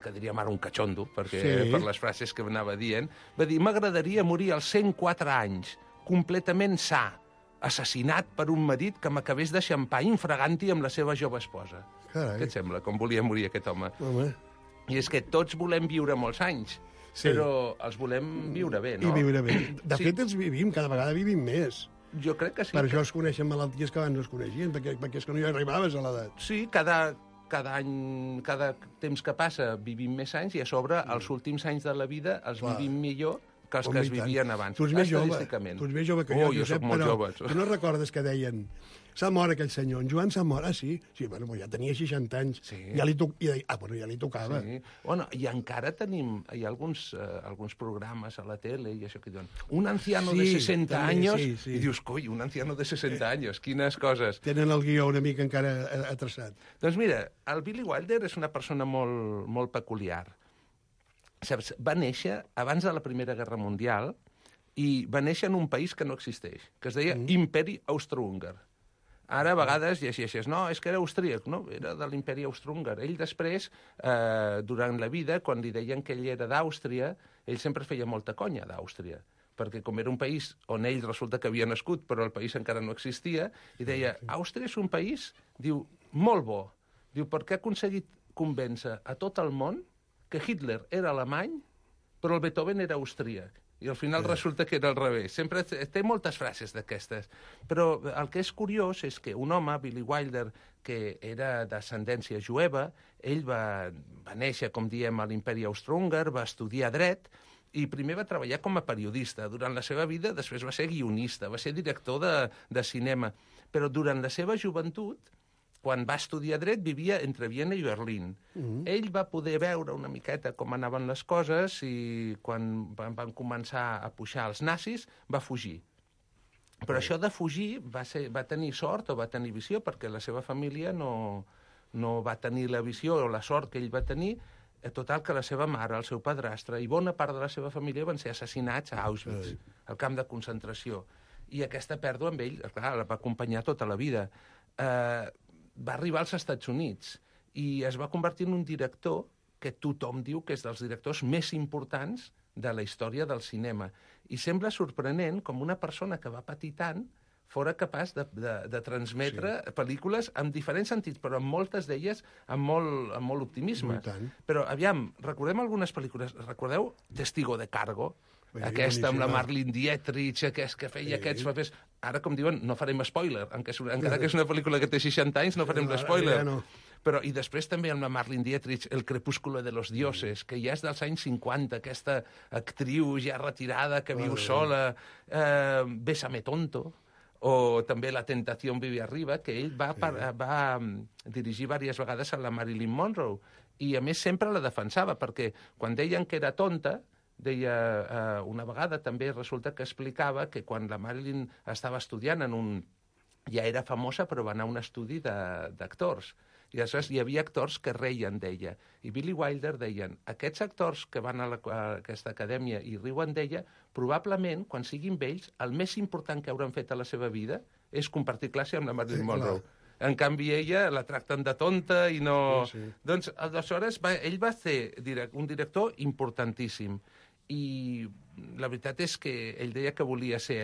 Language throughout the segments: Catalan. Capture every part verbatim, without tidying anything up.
que diríem ara un catxondo, perquè Sí. per les frases que anava dient, va dir, m'agradaria morir als cent quatre anys, completament sa, assassinat per un marit que m'acabés de xampar infraganti amb la seva jove esposa. Carai. Què et sembla, com volia morir aquest home? Home. I és que tots volem viure molts anys, Sí. però els volem viure bé, no? I viure bé. De Sí. fet, els vivim, cada vegada vivim més. Jo crec que sí. Per que... això es coneixen malalties que abans no es coneixien, perquè, perquè és que no hi arribaves a l'edat. Sí, cada, cada any, cada temps que passa vivim més anys i a sobre els últims anys de la vida els Clar. vivim millor que els Home, que es i tant. vivien abans. Tu ets més jove, Estadísticament. tu ets més jove que oh, jo, jo Josep, soc molt però jove. tu no recordes que deien s'ha mort aquell senyor, en Joan s'ha mort, ah, sí? Sí, bueno, ja tenia seixanta anys. Sí. Ja li, to... I deia, ah, bueno, ja li tocava. Sí. Bueno, i encara tenim, hi ha alguns, eh, alguns programes a la tele i això que diuen, un anciano Sí, de sesenta també, años, sí, sí. i dius, coi, un anciano de sesenta años, quines coses. Tenen el guió una mica encara atraçat. Doncs mira, el Billy Wilder és una persona molt, molt peculiar. Saps, va néixer abans de la Primera Guerra Mundial i va néixer en un país que no existeix, que es deia mm. Imperi Austrohúngar. Ara a vegades llegeixes, no, és que era austríac, no, era de l'imperi austrohúngar. Ell després, eh, durant la vida, quan li deien que ell era d'Àustria, ell sempre feia molta conya d'Àustria, perquè com era un país on ell resulta que havia nascut, però el país encara no existia, i deia, Àustria és un país, diu, molt bo. Diu, perquè ha aconseguit convèncer a tot el món que Hitler era alemany, però el Beethoven era austríac. I al final resulta que era al revés. Sempre té moltes frases d'aquestes. Però el que és curiós és que un home, Billy Wilder, que era d'ascendència jueva, ell va, va néixer, com diem, a l'imperi austrohúngar, va estudiar dret, i primer va treballar com a periodista. Durant la seva vida, després va ser guionista, va ser director de, de cinema. Però durant la seva joventut, quan va estudiar dret, vivia entre Viena i Berlín. Mm-hmm. Ell va poder veure una miqueta com anaven les coses i quan van, van començar a pujar els nazis, va fugir. Però mm. això de fugir va, ser, va tenir sort o va tenir visió, perquè la seva família no, no va tenir la visió o la sort que ell va tenir. Total, que la seva mare, el seu padrastre i bona part de la seva família van ser assassinats a Auschwitz, al camp de concentració. I aquesta pèrdua amb ell, clar, la va acompanyar tota la vida. Eh... va arribar als Estats Units i es va convertir en un director que tothom diu que és dels directors més importants de la història del cinema. I sembla sorprenent com una persona que va patir tant fora capaç de, de, de transmetre sí. pel·lícules amb diferents sentits, però amb moltes d'elles amb molt, amb molt optimisme. Però, aviam, recordem algunes pel·lícules. Recordeu Testigo de Cargo? Bé, aquesta amb la Marlene Dietrich, aquest que feia sí. aquests papers. Ara, com diuen, no farem spoiler, encara que és una pel·lícula que té seixanta anys, no farem no, l'espoiler. Ja no. Però, i després també amb la Marlene Dietrich, El crepúsculo de los dioses, que ja és dels anys cinquanta, aquesta actriu ja retirada que viu sola, eh, Bésame tonto, o també La tentació vive arriba, que ell va, sí. va, va dirigir diverses vegades a la Marilyn Monroe, i a més sempre la defensava, perquè quan deien que era tonta, deia, eh, una vegada també resulta que explicava que quan la Marilyn estava estudiant en un... ja era famosa, però va anar a un estudi d'actors. I aleshores hi havia actors que reien d'ella. I Billy Wilder deien, aquests actors que van a, la, a aquesta acadèmia i riuen d'ella, probablement, quan siguin vells, el més important que hauran fet a la seva vida és compartir classe amb la Marilyn sí, Monroe. Clar. En canvi, ella la tracten de tonta i no... Sí, sí. Doncs, aleshores, va, ell va ser direct, un director importantíssim. I la veritat és que ell deia que volia ser,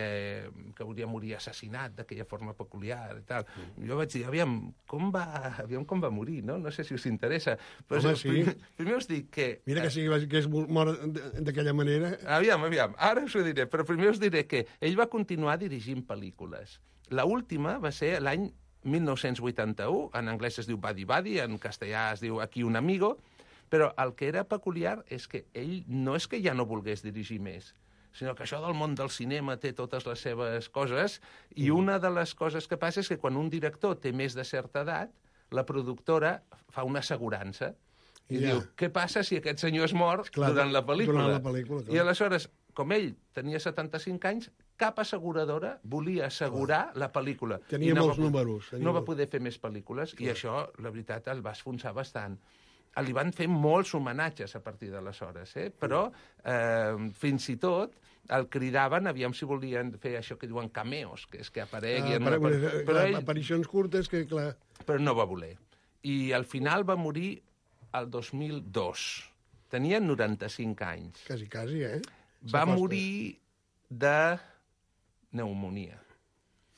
que volia morir assassinat d'aquella forma peculiar i tal. Mm. Jo vaig dir, aviam, com va, aviam com va morir, no? No sé si us interessa. Però Home, sí. primer, primer us dic que... Mira que sí, que és mort d'aquella manera. Aviam, aviam, ara us ho diré, però primer us diré que ell va continuar dirigint pel·lícules. La última va ser l'any mil nou-cents vuitanta-u, en anglès es diu Buddy Buddy, en castellà es diu Aquí un amigo, però el que era peculiar és que ell no és que ja no volgués dirigir més, sinó que això del món del cinema té totes les seves coses, i una de les coses que passa és que quan un director té més de certa edat, la productora fa una assegurança. I ja. diu, què passa si aquest senyor es mor clar, durant la pel·lícula? Durant la pel·lícula clar. I aleshores, com ell tenia setanta-cinc anys, cap asseguradora volia assegurar clar. la pel·lícula. Tenia no molts va, números. Tenia no va molt... poder fer més pel·lícules, clar. I això, la veritat, el va esfonsar bastant. Li van fer molts homenatges a partir d'aleshores, eh? Però eh, fins i tot el cridaven, aviam si volien fer això que diuen cameos, que és que apareguin... Ah, per, una... però ell... Aparicions curtes que, clar... Però no va voler. I al final va morir el dos mil dos. Tenia noranta-cinc anys. Quasi, quasi, eh? Va morir de pneumonia.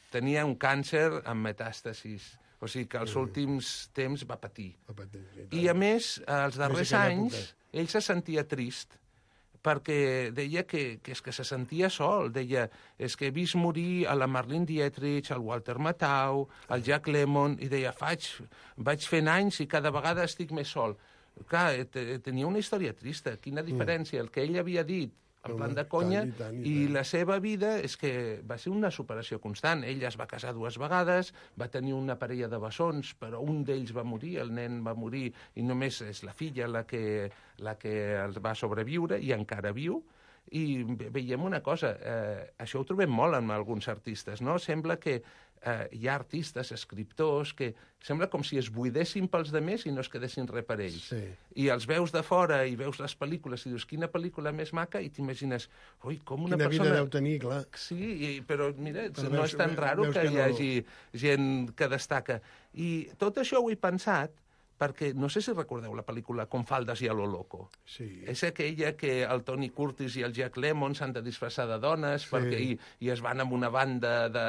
Tenia un càncer amb metàstasis. O sigui que als últims temps va patir. Va patir, sí, I, a més, als darrers anys, ell se sentia trist perquè deia que, que, és que se sentia sol. Deia, és que he vist morir a la Marlene Dietrich, al Walter Matthau, al Jack Lemmon, i deia, faig, vaig fent anys i cada vegada estic més sol. Clar, tenia una història trista. Quina diferència? El que ell havia dit en plan de conya, i, tant, i, tant. I la seva vida és que va ser una superació constant. Ell es va casar dues vegades, va tenir una parella de bessons, però un d'ells va morir, el nen va morir, i només és la filla la que, la que els va sobreviure, i encara viu. I veiem una cosa, eh, això ho trobem molt en alguns artistes, no? Sembla que eh, hi ha artistes, escriptors, que sembla com si es buidessin pels demés i no es quedessin res per ells. Sí. I els veus de fora i veus les pel·lícules i dius, quina pel·lícula més maca, i t'imagines, ui, com una quina persona... Quina vida deu tenir, clar. Sí, i, però mira, però no veus, és tan raro que, que hi hagi no... gent que destaca. I tot això ho he pensat perquè no sé si recordeu la pel·lícula Con faldas y a lo loco. Sí. És aquella que el Tony Curtis i el Jack Lemmon s'han de disfressar de dones, sí. perquè, i, i es van amb una banda, de,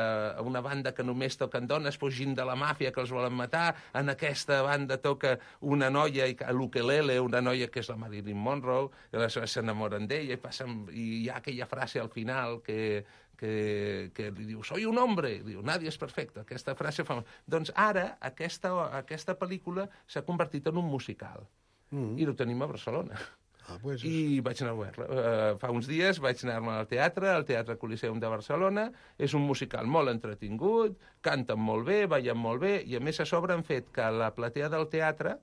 una banda que només toquen dones, fugint de la màfia que els volen matar. En aquesta banda toca una noia, a l'ukelele, una noia que és la Marilyn Monroe, i aleshores s'enamoren d'ella, i, passen, i hi ha aquella frase al final que... Que, que li diu, soy un hombre, i diu, nadie és perfecte, aquesta frase fa... Doncs ara aquesta, aquesta pel·lícula s'ha convertit en un musical, mm. i ho tenim a Barcelona. Ah, pues... I vaig anar a veure. Uh, fa uns dies vaig anar-me al teatre, al Teatre Coliseum de Barcelona, és un musical molt entretingut, canten molt bé, ballen molt bé, i a més a sobre han fet que la platea del teatre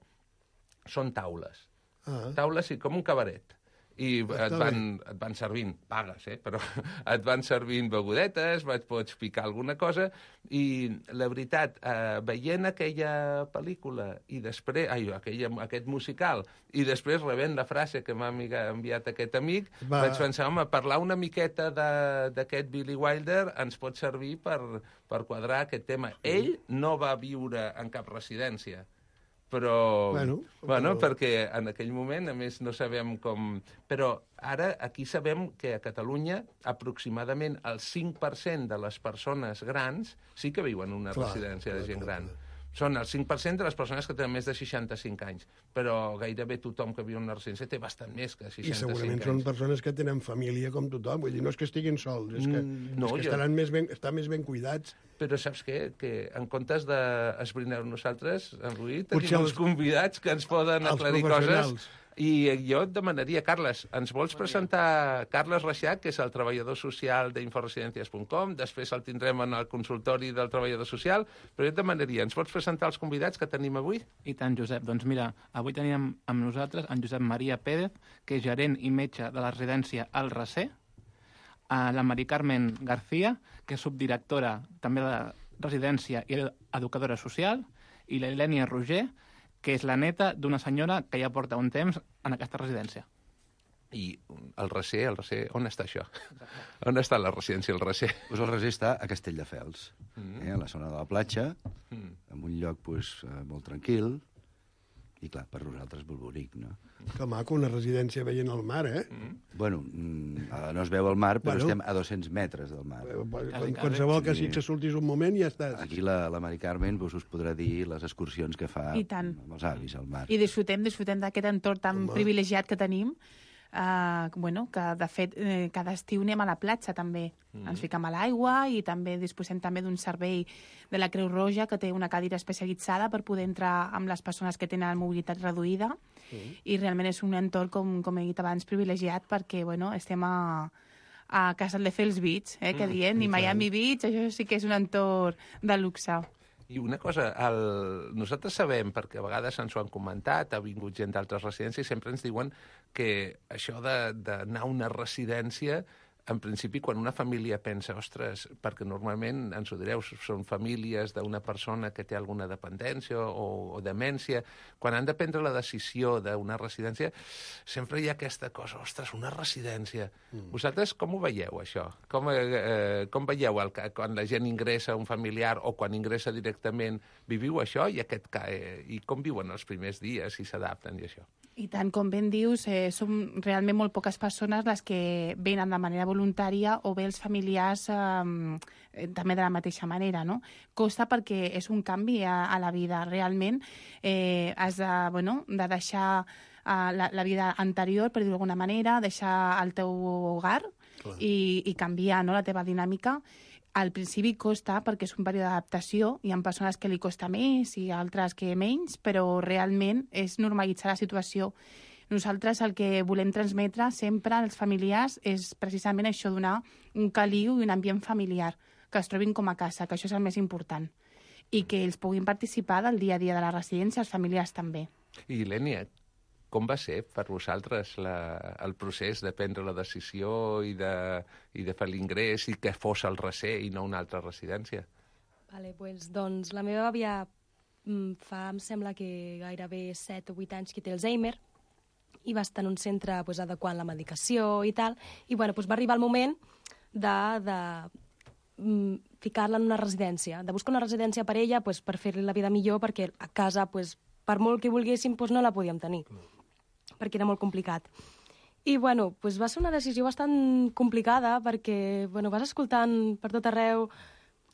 són taules. Ah. Taules, sí, com un cabaret. I et van, et van servint, pagues, eh? Però et van servint begudetes, pots picar alguna cosa, i la veritat, eh, veient aquella pel·lícula i després, ai, aquella, aquest musical, i després rebent la frase que m'ha enviat aquest amic, Va. vaig pensar, home, parlar una miqueta d'aquest Billy Wilder ens pot servir per, per quadrar aquest tema. Ell no va viure en cap residència, però, bueno, bueno però... perquè en aquell moment, a més, no sabem com... Però ara aquí sabem que a Catalunya aproximadament el cinc per cent de les persones grans sí que viuen en una clar, residència de gent clar, gran. Clar. Són el cinc per cent de les persones que tenen més de seixanta-cinc anys, però gairebé tothom que viu en una residència té bastant més que seixanta-cinc anys. I segurament anys. Són persones que tenen família com tothom, vull dir, no és que estiguin sols, és que, no, és que jo... estaran més ben, estan més ben cuidats. Però saps què? Que en comptes d'esbrinar nosaltres, en Rui, tenim uns els... convidats que ens poden aclarir coses. I jo et demanaria, Carles, ens vols presentar Carles Reixac, que és el treballador social d'inforesidències punt com, després el tindrem en el consultori del treballador social, però jo et demanaria, ens pots presentar els convidats que tenim avui? I tant, Josep. Doncs mira, avui tenim amb nosaltres en Josep Maria Pérez, que és gerent i metge de la residència El Recer, la Mari Carmen García, que és subdirectora també de la residència i educadora social, i la Ilènia Roger, que és la neta d'una senyora que ja porta un temps en aquesta residència. I el Recer, el Recer, on està això? Exacte. On està la residència El Recer? Pues el Recer està a Castelldefels, mm. eh, a la zona de la platja, mm. en un lloc pues, molt tranquil, i clar, per nosaltres molt bonic, no? Que maco, una residència veient el mar, eh? Mm. Bueno, no es veu el mar, però bueno, estem a dos-cents metres del mar. Qualsevol que sí que sortis un moment i ja estàs. Aquí la, la Mari Carmen pues, us podrà dir les excursions que fa amb els avis al mar. I disfrutem, disfrutem d'aquest entorn tan Home. privilegiat que tenim, Uh, bueno, que de fet eh, cada estiu anem a la platja també, mm. ens fiquem a l'aigua i també disposem també d'un servei de la Creu Roja que té una cadira especialitzada per poder entrar amb les persones que tenen mobilitat reduïda mm. i realment és un entorn, com, com he dit abans, privilegiat perquè bueno, estem a, a Castelldefels Beach, eh, que diem, mm. i Miami Beach, això sí que és un entorn de luxe. I una cosa, el... nosaltres sabem, perquè a vegades ens ho han comentat, ha vingut gent d'altres residències, i sempre ens diuen que això d'anar a una residència en principi, quan una família pensa, ostres, perquè normalment, ens ho direu, són famílies d'una persona que té alguna dependència o, o demència, quan han de prendre la decisió d'una residència, sempre hi ha aquesta cosa, ostres, una residència. Mm. Vosaltres com ho veieu, això? Com, eh, com veieu el, quan la gent ingressa un familiar o quan ingressa directament, viviu això i, aquest, eh, i com viuen els primers dies, si s'adapten i això? I tant, com ben dius, eh, som realment molt poques persones les que venen de manera voluntària o bé els familiars eh, també de la mateixa manera, no? Costa perquè és un canvi a, a la vida. Realment eh, has de, bueno, de deixar eh, la, la vida anterior, per dir-ho d'alguna manera, deixar el teu hogar i, i canviar, no?, la teva dinàmica. Al principi costa perquè és un període d'adaptació, hi ha persones que li costa més i altres que menys, però realment és normalitzar la situació. Nosaltres el que volem transmetre sempre als familiars és precisament això, donar un caliu i un ambient familiar, que es trobin com a casa, que això és el més important, i que ells puguin participar del dia a dia de la residència, els familiars també. I Lènia, com va ser per vosaltres la, el procés de prendre la decisió i de, i de fer l'ingrés i que fos el recer i no una altra residència? Vale, pues, doncs la meva àvia fa, em sembla que gairebé set o vuit anys que té Alzheimer i va estar en un centre pues, adequant la medicació i tal, i bueno, pues, va arribar el moment de, de mm, ficar-la en una residència, de buscar una residència per ella pues, per fer-li la vida millor, perquè a casa, pues, per molt que volguéssim, pues, no la podíem tenir, perquè era molt complicat. I, bueno, pues va ser una decisió bastant complicada perquè, bueno, vas escoltant per tot arreu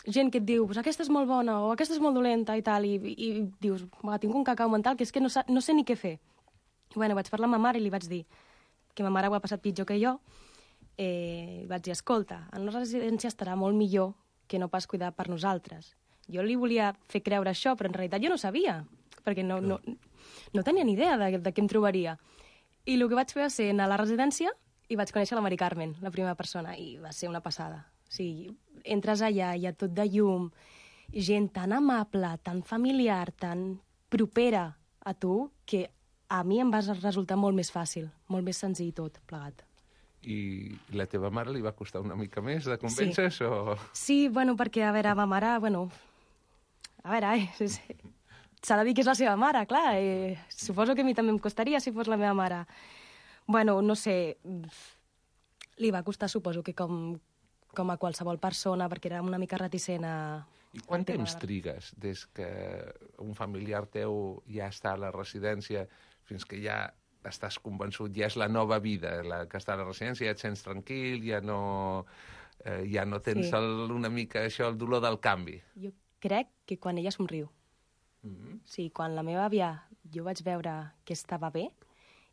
gent que et diu, pues aquesta és molt bona o aquesta és molt dolenta i tal, i, i dius, va, tinc un cacau mental que és que no, sa, no sé ni què fer. I, bueno, vaig parlar amb ma mare i li vaig dir que ma mare ho ha passat pitjor que jo. Eh, vaig dir, escolta, en una residència estarà molt millor que no pas cuidar per nosaltres. Jo li volia fer creure això, però en realitat jo no sabia, perquè no, no, no tenia ni idea de, de què em trobaria. I el que vaig fer va ser anar a la residència i vaig conèixer la Mari Carmen, la primera persona, i va ser una passada. O sigui, entres allà, hi ha tot de llum, gent tan amable, tan familiar, tan propera a tu, que a mi em va resultar molt més fàcil, molt més senzill tot, plegat. I la teva mare li va costar una mica més de convèncer, sí. o...? Sí, bueno, perquè, a veure, ma mare, bueno... A veure, eh... s'ha de dir que és la seva mare, clar. Eh, suposo que a mi també em costaria si fos la meva mare. Bueno, no sé, li va costar, suposo, que com, com a qualsevol persona, perquè era una mica reticent a... I quant temps trigues des que un familiar teu ja està a la residència fins que ja estàs convençut, ja és la nova vida la que està a la residència, ja et sents tranquil, ja no, eh, ja no tens sí. el, una mica això, el dolor del canvi? Jo crec que quan ella somriu. Mm-hmm. Sí, quan la meva àvia jo vaig veure que estava bé,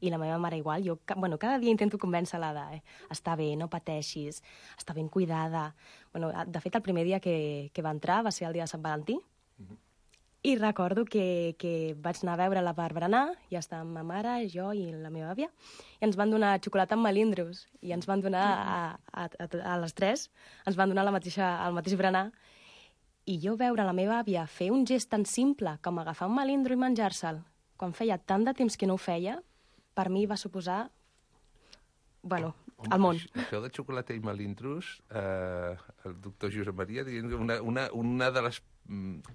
i la meva mare igual, jo bueno, cada dia intento convèncer-la de eh, està bé, no pateixis, està ben cuidada. Bueno, de fet, el primer dia que, que va entrar va ser el dia de Sant Valentí, mm-hmm. i recordo que, que vaig anar a veure-la per berenar, ja estàvem ma mare, jo i la meva àvia, i ens van donar xocolata amb melindros, i ens van donar a, a, a, a les tres, ens van donar la mateixa, el mateix berenar, i jo veure la meva àvia fer un gest tan simple com agafar un melindro i menjar-se'l, quan feia tant de temps que no ho feia, per mi va suposar, bueno, Home, el món. Això de xocolata i melindros, eh, el doctor Josep Maria, una, una, una de les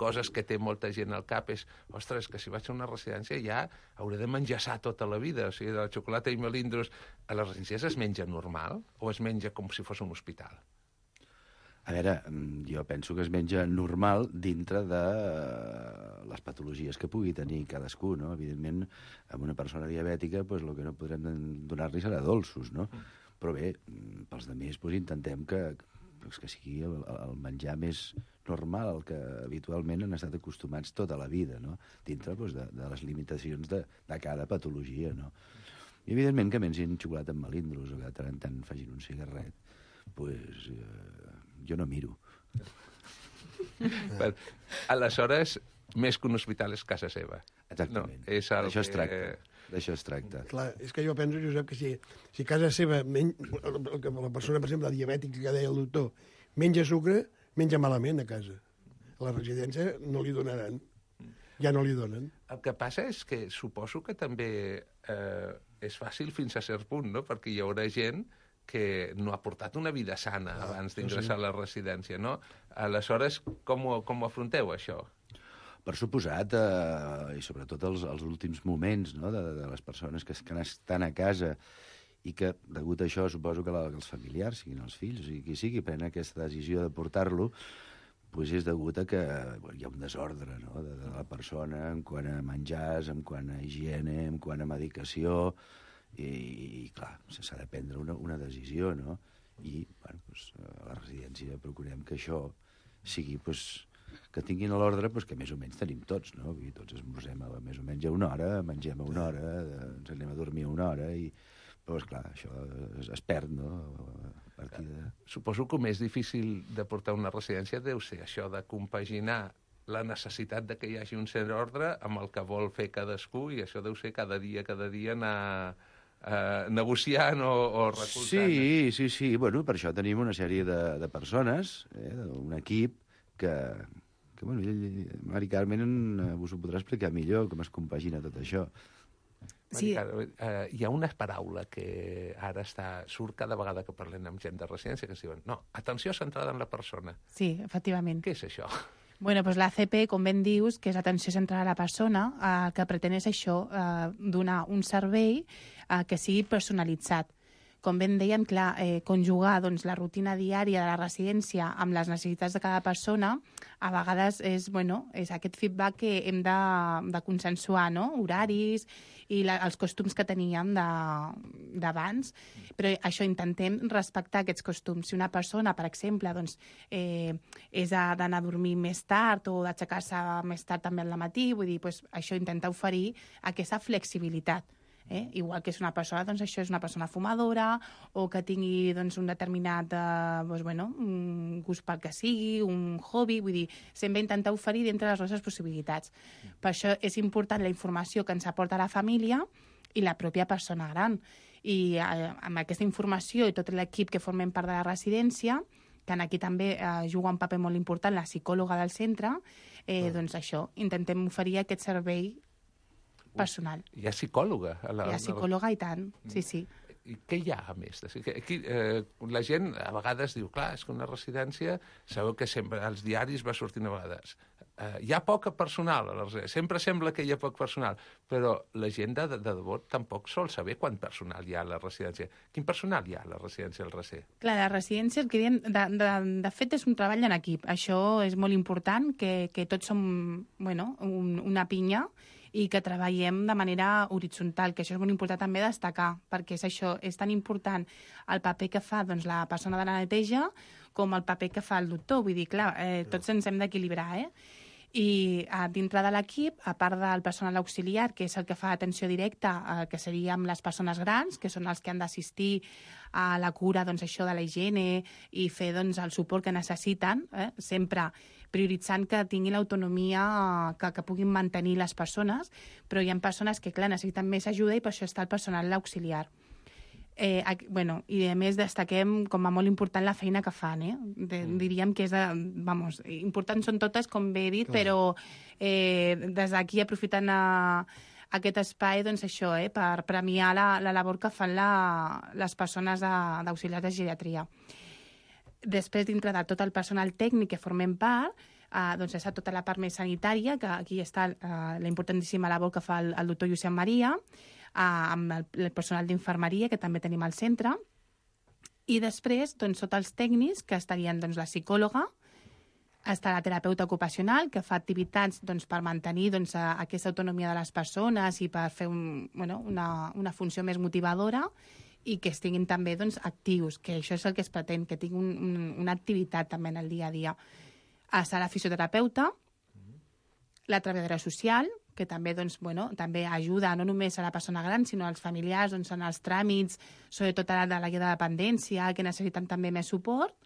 coses que té molta gent al cap és, ostres, que si vaig a una residència ja hauré de menjar-se tota la vida. O sigui, de la xocolata i melindros, a les residències es menja normal o es menja com si fos un hospital? A veure, jo penso que es menja normal dintre de les patologies que pugui tenir cadascú, no? Evidentment, amb una persona diabètica, doncs, el que no podrem donar-li serà dolços, no? Però bé, pels altres, doncs, intentem que, que sigui el, el menjar més normal, el que habitualment han estat acostumats tota la vida, no? Dintre doncs, de, de les limitacions de, de cada patologia, no? I evidentment que mengin xocolata amb melindros o que de tant en tant facin un cigarret, doncs eh, jo no miro. Però, aleshores, més que un hospital és casa seva. Exactament. No, és el D'això es que... tracta. D'això es tracta. Clar, és que jo penso, Josep, que si, si casa seva, men... la persona, per exemple, diabètica que deia el doctor, menja sucre, menja malament a casa. A la residència no li donaran. Ja no li donen. El que passa és que suposo que també eh, és fàcil fins a cert punt, no? Perquè hi haurà gent que no ha portat una vida sana ah, abans d'ingressar sí. a la residència, no? Aleshores, com ho, com ho afronteu, això? Per suposat, eh, i sobretot els, els últims moments, no?, de, de les persones que, que estan a casa i que, degut a això, suposo que, la, que els familiars, siguin els fills, o sigui, qui sigui, prenen aquesta decisió de portar-lo, pues és degut a que bueno, hi ha un desordre, no?, de, de la persona en quant a menjars, en quant a higiene, en quant a medicació, i, i clar, s'ha de prendre una, una decisió, no? I, bueno, pues, a la residència procurem que això sigui, pues, que tinguin a l'ordre pues, que més o menys tenim tots, no? Vull dir, tots esmorzem a, més o menys a una hora, mengem a una hora, ens anem a dormir a una hora, i, però, esclar, això es, es perd, no? A partir de... Suposo que el més difícil de portar una residència deu ser això de compaginar la necessitat de que hi hagi un cert ordre amb el que vol fer cadascú, i això deu ser cada dia, cada dia anar eh, negociant o, o recolzant. Sí, sí, sí. Bueno, per això tenim una sèrie de, de persones, eh, un equip que, que bueno, ell, Mari Carmen vos ho podrà explicar millor, com es compagina tot això. Sí. Mari Carmen, eh, hi ha una paraula que ara està, surt cada vegada que parlem amb gent de residència, que es diuen, no, atenció centrada en la persona. Sí, efectivament. Què és això? Bueno, doncs l'A C P, com ben dius, que és atenció centrada a la persona, eh, el que pretén és això, eh, donar un servei eh, que sigui personalitzat. Com ben dèiem, clar, eh, conjugar doncs, la rutina diària de la residència amb les necessitats de cada persona, a vegades és, bueno, és aquest feedback que hem de, de consensuar, no? Horaris i la, els costums que teníem d'abans, però això intentem respectar aquests costums. Si una persona, per exemple, doncs, eh, és d'anar a dormir més tard o d'aixecar-se més tard també al matí, vull dir, doncs, això intenta oferir aquesta flexibilitat. Eh? Igual que és una persona, doncs això és una persona fumadora o que tingui doncs, un determinat eh, doncs, bueno, un gust pel que sigui, un hobby, vull dir, sempre intentar oferir dintre les nostres possibilitats. Per això és important la informació que ens aporta la família i la pròpia persona gran. I eh, amb aquesta informació i tot l'equip que formem part de la residència, que aquí també eh, juga un paper molt important la psicòloga del centre, eh, doncs això, intentem oferir aquest servei personal. Hi ha psicòloga? A la, Hi ha psicòloga i tant, sí, sí. I què hi ha, a més? Aquí, eh, la gent a vegades diu, clar, és que una residència, sabeu que sempre als diaris va sortint a vegades, eh, hi ha poca personal a la residència, sempre sembla que hi ha poc personal, però la gent de, de, de debò tampoc sol saber quant personal hi ha a la residència. Quin personal hi ha a la residència del Recer? Clar, la residència, el que diem, de, de, de fet, és un treball en equip. Això és molt important, que, que tots som, bueno, un, una pinya, i que treballem de manera horitzontal, que això és molt important també destacar, perquè és això, és tan important el paper que fa doncs, la persona de la neteja com el paper que fa el doctor. Vull dir, clar, eh, tots ens hem d'equilibrar, eh? I a, dintre de l'equip, a part del personal auxiliar, que és el que fa atenció directa, eh, que seria amb les persones grans, que són els que han d'assistir a la cura, doncs, això de la higiene i fer doncs, el suport que necessiten, eh? Sempre prioritzant que tinguin l'autonomia que, que puguin mantenir les persones, però hi ha persones que, clar, necessiten més ajuda i per això està el personal auxiliar. Eh, bueno, i a més destaquem com a molt important la feina que fan, eh? De, diríem que és, de, vamos, importants són totes, com bé he dit, clar, però eh, des d'aquí aprofitant a, aquest espai, doncs això, eh, per premiar la, la labor que fan la, les persones d'auxiliars de, de geriatria. Després, dintre de tot el personal tècnic que formem part, eh, doncs és tota la part més sanitària, que aquí està eh, la importantíssima labor que fa el, el doctor Josep Maria, eh, amb el, el personal d'infermeria, que també tenim al centre, i després, doncs, tots els tècnics, que estarien doncs, la psicòloga, està la terapeuta ocupacional, que fa activitats doncs, per mantenir doncs, aquesta autonomia de les persones i per fer un, bueno, una, una funció més motivadora, i que estiguin també doncs, actius, que això és el que es pretén, que tinguin un, un, una activitat també en el dia a dia. Està la fisioterapeuta, la treballadora social, que també, doncs, bueno, també ajuda no només a la persona gran, sinó als familiars doncs, en els tràmits, sobretot a la de la guia de dependència, que necessiten també més suport,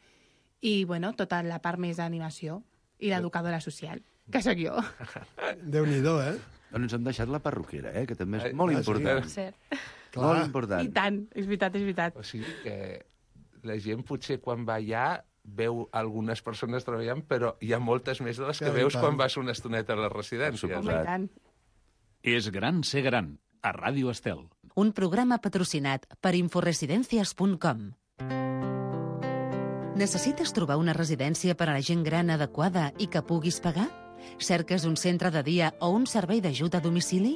i bueno, tota la part més d'animació, i l'educadora social, que sóc jo. Déu-n'hi-do, eh? Doncs ens hem deixat la perruquera, eh? Que també és molt ah, important. Sí. Clar. Molt important. I tant, és veritat, és veritat. O sigui que la gent potser quan va allà veu algunes persones treballant, però hi ha moltes més de les que Ja, veus tant. quan vas una estoneta a la residència. Home, i tant. És gran ser gran, a Ràdio Estel. Un programa patrocinat per inforesidencias punt com. Necessites trobar una residència per a la gent gran adequada i que puguis pagar? Cerques un centre de dia o un servei d'ajut a domicili?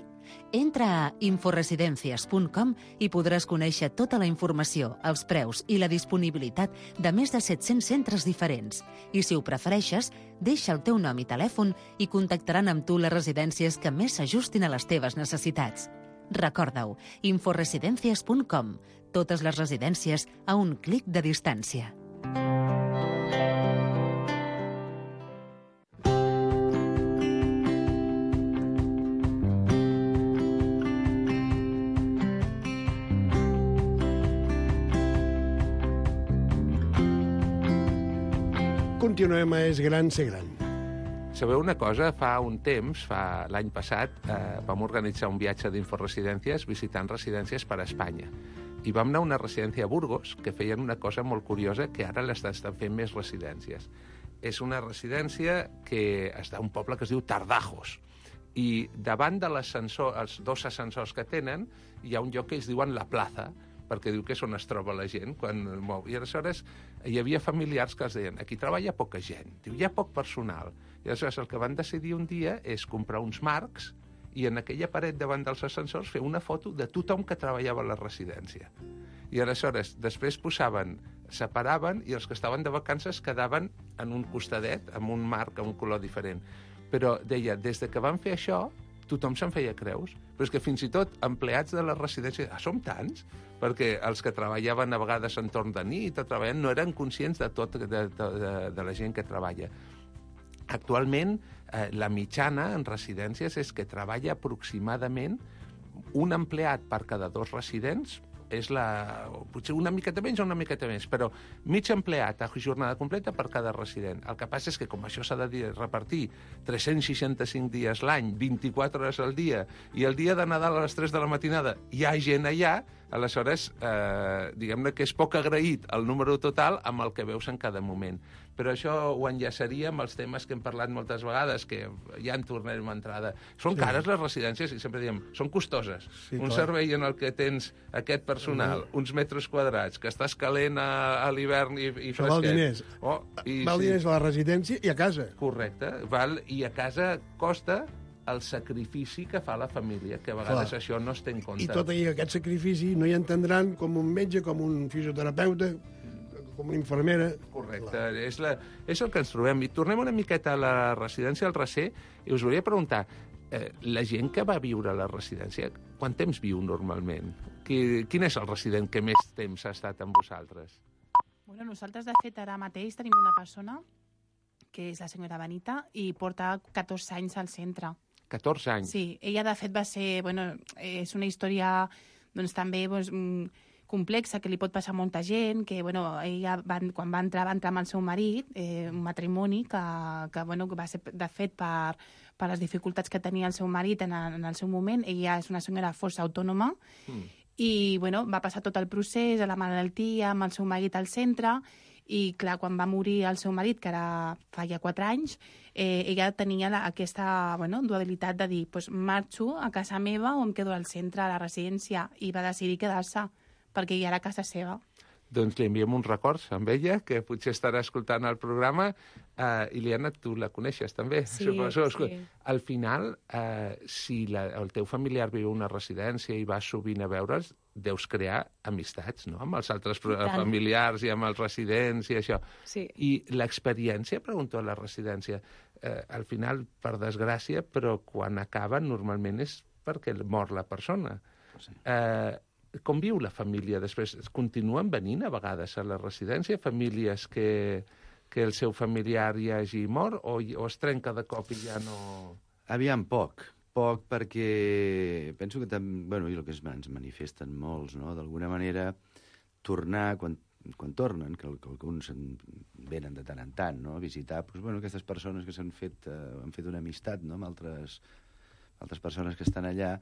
Entra a inforesidencias punt com i podràs conèixer tota la informació, els preus i la disponibilitat de més de set-cents centres diferents. I si ho prefereixes, deixa el teu nom i telèfon i contactaran amb tu les residències que més s'ajustin a les teves necessitats. Recorda-ho, inforesidencias punt com. Totes les residències a un clic de distància. Continuem a És gran, ser gran. Sabeu una cosa? Fa un temps, fa l'any passat, eh, vam organitzar un viatge d'Inforesidències visitant residències per a Espanya. I vam anar a una residència a Burgos que feien una cosa molt curiosa que ara l'estan fent més residències. És una residència que està a un poble que es diu Tardajos. I davant de l'ascensor, els dos ascensors que tenen, hi ha un lloc que ells diuen la plaça, perquè diu que és on es troba la gent quan el mou. I aleshores hi havia familiars que els deien aquí treballa poca gent, diu, hi ha poc personal. I aleshores el que van decidir un dia és comprar uns marcs i en aquella paret davant dels ascensors fer una foto de tothom que treballava a la residència. I aleshores després posaven, separaven i els que estaven de vacances quedaven en un costadet amb un marc amb un color diferent. Però deia, des de que van fer això, tothom se'n feia creus. Però és que fins i tot empleats de la residència, ah, som tants? Perquè els que treballaven a vegades entorn de nit o treballant no eren conscients de tot, de, de, de, de la gent que treballa. Actualment, eh, la mitjana en residències és que treballa aproximadament un empleat per cada dos residents, és la, potser una miqueta menys o una miqueta més, però mig empleat a jornada completa per cada resident. El que passa és que com això s'ha de dir, repartir tres-cents seixanta-cinc dies l'any, vint-i-quatre hores al dia, i el dia de Nadal a les tres de la matinada hi ha gent allà, aleshores, eh, diguem-ne que és poc agraït el número total amb el que veus en cada moment. Però això ho enllaçaria amb els temes que hem parlat moltes vegades, que ja en tornarem a entrada. Són sí. cares les residències, i sempre diem, són costoses. Sí, un clar. servei en el que tens aquest personal, sí. uns metres quadrats, que estàs calent a, a l'hivern i, i fresquet. Val diners. Oh, i, val sí. diners a la residència i a casa. Correcte. Val, i a casa costa el sacrifici que fa la família, que a vegades clar. això no es té en compte. I tot i aquest sacrifici no hi entendran com un metge, com un fisioterapeuta, com una infermera. Correcte, és, la, és el que ens trobem. I tornem una miqueta a la residència al Recer i us volia preguntar, eh, la gent que va viure a la residència, quant temps viu normalment? Qui, quin és el resident que més temps ha estat amb vosaltres? Bueno, nosaltres, de fet, ara mateix tenim una persona, que és la senyora Benita, i porta catorze anys al centre. catorze anys? Sí, ella, de fet, va ser... Bueno, és una història, doncs, també... Doncs, complexa, que li pot passar a molta gent, que, bueno, ella, va, quan va entrar, va entrar amb el seu marit, eh, un matrimoni que, que, bueno, que va ser, de fet, per, per les dificultats que tenia el seu marit en, en el seu moment. Ella és una senyora força autònoma mm. i, bueno, va passar tot el procés, a la malaltia, amb el seu marit al centre, i, clar, quan va morir el seu marit, que ara fa ja quatre anys, eh, ella tenia la, aquesta, bueno, dualitat de dir, pues, marxo a casa meva o em quedo al centre, a la residència, i va decidir quedar-se, perquè ja era casa seva. Doncs li enviem uns records amb ella, que potser estarà escoltant el programa. Uh, Iliana, tu la coneixes també? Sí, Suposo. sí. Al final, uh, si la, el teu familiar viu a una residència i vas sovint a veure'ls, deus crear amistats, no?, amb els altres familiars i amb els residents i això. Sí. I l'experiència, pregunto a la residència, uh, al final, per desgràcia, però quan acaben, normalment és perquè mor la persona. Sí. Uh, Com viu la família després? Continuen venint a vegades a la residència famílies que, que el seu familiar ja hagi mort o, o es trenca de cop i ja no... Aviam, poc. Poc perquè penso que també, bueno, i el que es, ens manifesten molts, no? D'alguna manera, tornar, quan, quan tornen, que, que alguns venen de tant en tant, no?, a visitar, doncs, bueno, aquestes persones que s'han fet, eh, han fet una amistat, no?, amb altres, altres persones que estan allà,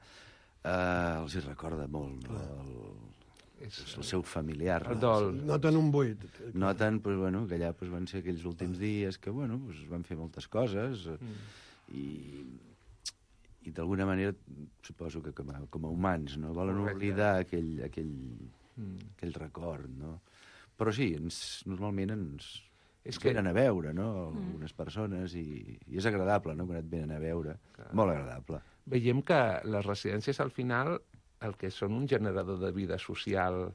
Uh, els hi recorda molt, no? el, el seu familiar. El dol. Noten un buit. Noten, pues, bueno, que allà pues, van ser aquells últims dies que, bueno, pues, van fer moltes coses mm. i, i d'alguna manera suposo que com a, com a humans no volen Correcte. oblidar aquell, aquell, mm. aquell record, no? Però sí, ens, normalment ens, És ens que- venen a veure, no?, algunes persones, i, i és agradable, no?, quan et venen a veure. Molt agradable. Veiem que les residències, al final, el que són un generador de vida social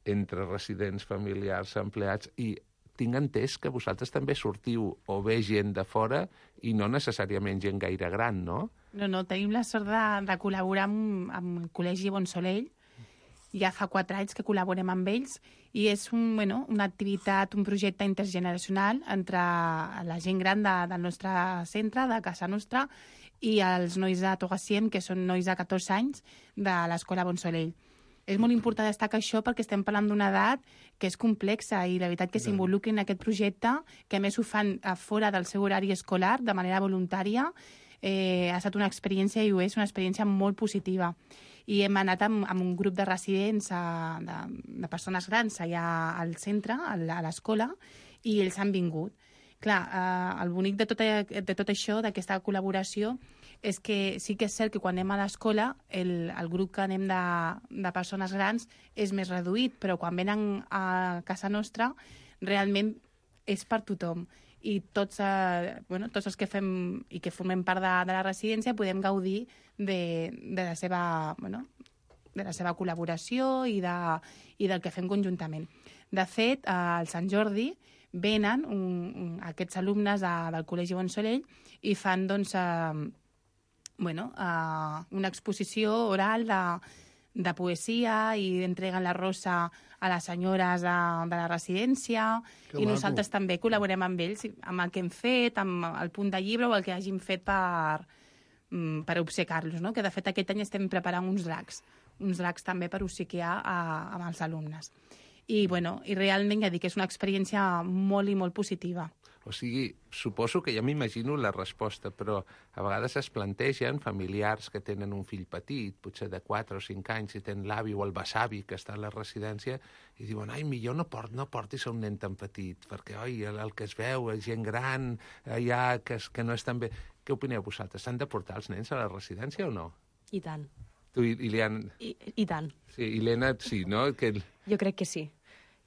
entre residents, familiars, empleats, i tinc entès que vosaltres també sortiu o ve gent de fora i no necessàriament gent gaire gran, no? No, no, tenim la sort de, de col·laborar amb, amb el Col·legi Bonsolell. Ja fa quatre anys que col·laborem amb ells i és un, bueno, una activitat, un projecte intergeneracional entre la gent gran de, del nostre centre, de casa nostra, i els nois de Togassiem, que són nois de catorze anys, de l'escola Bonsolell. És molt important destacar això perquè estem parlant d'una edat que és complexa i la veritat que s'involucrin en aquest projecte, que a més ho fan a fora del seu horari escolar, de manera voluntària, eh, ha estat una experiència i ho és, una experiència molt positiva. I hem anat amb, amb un grup de residents, a, de, de persones grans allà al centre, a l'escola, i ells han vingut. Clar, eh, el bonic de tot, de tot això, d'aquesta col·laboració, és que sí que és cert que quan anem a l'escola el, el grup que anem de, de persones grans és més reduït, però quan venen a casa nostra realment és per tothom. I tots, eh, bueno, tots els que fem i que formem part de, de la residència podem gaudir de, de, la seva, bueno, de la seva col·laboració i, de, i del que fem conjuntament. De fet, eh, al Sant Jordi venen un, un, aquests alumnes de, del Col·legi Bonsolell i fan doncs, eh, bueno, eh, una exposició oral de, de poesia i entreguen la rosa a les senyores de, de la residència. Que I maco. nosaltres també col·laborem amb ells, amb el que hem fet, amb el punt de llibre o el que hagin fet per, mm, per obsecar-los, no? Que de fet aquest any estem preparant uns dracs, uns dracs també per obsequiar a, amb els alumnes. I, bueno, i realment ja dic que és una experiència molt i molt positiva. O sigui, suposo que ja m'imagino la resposta, però a vegades es plantegen familiars que tenen un fill petit, potser de quatre o cinc anys, i tenen l'avi o el besavi que està a la residència, i diuen, ai, millor no, port, no portis a un nen tan petit, perquè, oi, el, el que es veu és gent gran, allà, que, es, que no és tan bé... Què opineu vosaltres? S'han de portar els nens a la residència o no? I tant. Tu, i, i, li han... I, i tant. Sí, i l'Helena, sí, no? Que... Jo crec que sí.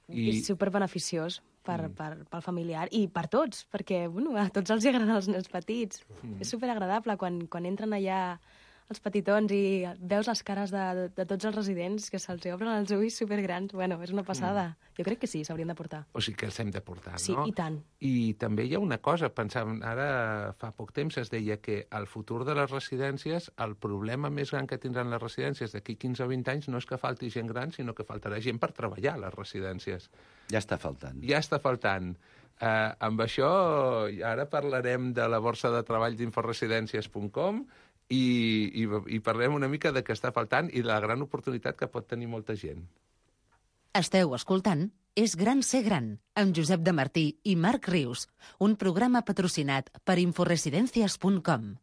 I- És superbeneficiós per, mm. per, pel familiar i per tots, perquè bueno, a tots els agraden els nens petits. Mm. És superagradable quan, quan entren allà els petitons i veus les cares de, de, de tots els residents que se'ls obren els ulls supergrans. Bueno, és una passada. Mm. Jo crec que sí, s'haurien de portar. O sigui que els hem de portar, Sí, no? i tant. I també hi ha una cosa, pensàvem, ara fa poc temps es deia que al futur de les residències, el problema més gran que tindran les residències d'aquí quinze o vint anys no és que falti gent gran, sinó que faltarà gent per treballar a les residències. Ja està faltant. Ja està faltant. Uh, amb això, ara parlarem de la borsa de treball d'inforesidències punt com i, i, i parlem una mica de què està faltant i de la gran oportunitat que pot tenir molta gent. Esteu escoltant És gran ser gran, amb Josep de Martí i Marc Rius, un programa patrocinat per inforesidències punt com.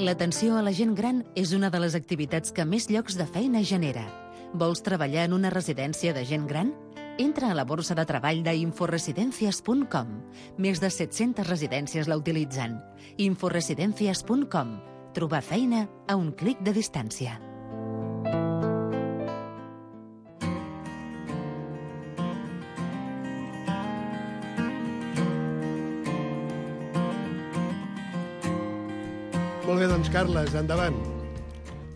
L'atenció a la gent gran és una de les activitats que més llocs de feina genera. Vols treballar en una residència de gent gran? Entra a la borsa de treball d'inforesidències punt com. Més de set-centes residències la utilitzen. inforesidències punt com. Trobar feina a un clic de distància. Molt bé, doncs, Carles, endavant.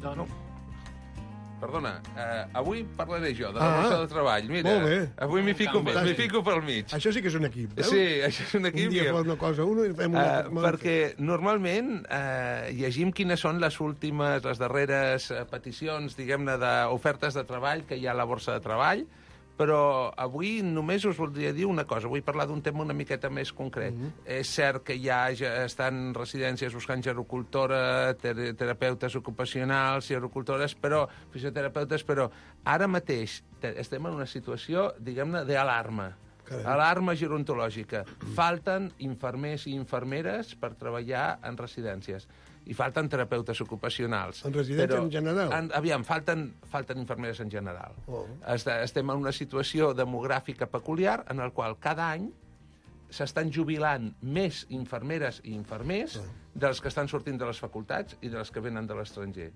Doncs, Perdona, eh, avui parlaré jo de la Ah, borsa de treball. Mira, molt bé. avui m'hi fico, Fantàstic. m'hi fico pel mig. Això sí que és un equip, veus? Sí, això és un equip. Un dia que- fa una cosa uno i fem una... Uh, perquè normalment uh, llegim quines són les últimes, les darreres uh, peticions, diguem-ne, d'ofertes de treball que hi ha a la borsa de treball, però avui només us voldria dir una cosa. Vull parlar d'un tema una miqueta més concret. Mm -hmm. És cert que ja, ja estan residències buscant gerocultora, ter terapeutes ocupacionals, gerocultores, però fisioterapeutes, però ara mateix estem en una situació, diguem-ne, d'alarma. Carai. Alarma gerontològica. Falten infermers i infermeres per treballar en residències. I falten terapeutes ocupacionals. En residències en general? En, aviam, falten, falten infermeres en general. Oh. Est estem en una situació demogràfica peculiar en la qual cada any s'estan jubilant més infermeres i infermers dels que estan sortint de les facultats i dels que venen de l'estranger.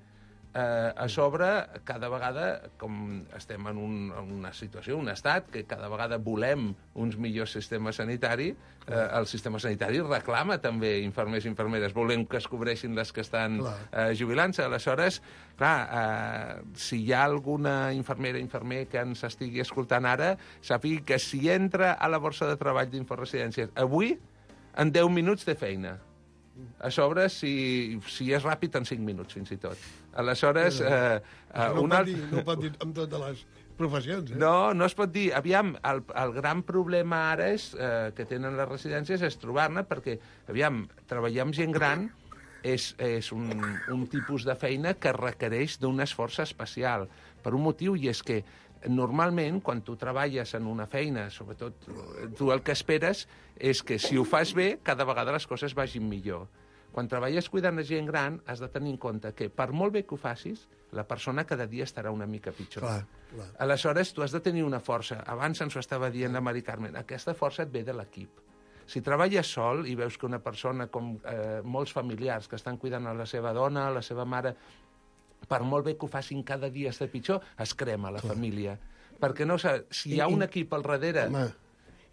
Eh, a sobre, cada vegada, com estem en, un, en una situació, un estat, que cada vegada volem uns millors sistemes sanitaris, eh, el sistema sanitari reclama també infermers i infermeres, volem que es cobreixin les que estan eh, jubilant-se. Aleshores, clar, eh, si hi ha alguna infermera, infermer que ens estigui escoltant ara, sàpiga que si entra a la borsa de treball d'Inforesidències avui, en deu minuts té feina. A sobre, si, si és ràpid, en cinc minuts, fins i tot. Aleshores... Eh, eh, no, una... pot dir, no pot dir amb totes les professions, eh? No, no es pot dir. Aviam, el, el gran problema ara és, eh, que tenen les residències és trobar-ne, perquè, aviam, treballar amb gent gran és, és un, un tipus de feina que requereix d'un esforç especial, per un motiu, i és que normalment, quan tu treballes en una feina, sobretot tu el que esperes és que si ho fas bé, cada vegada les coses vagin millor. Quan treballes cuidant de gent gran, has de tenir en compte que, per molt bé que ho facis, la persona cada dia estarà una mica pitjor. Clar, clar. Aleshores, tu has de tenir una força. Abans ens ho estava dient la Mari Carmen. Aquesta força et ve de l'equip. Si treballes sol i veus que una persona, com eh, molts familiars que estan cuidant a la seva dona, a la seva mare, per molt bé que ho facin cada dia estar pitjor, es crema la família. Perquè no, si hi ha un equip al darrere... Home,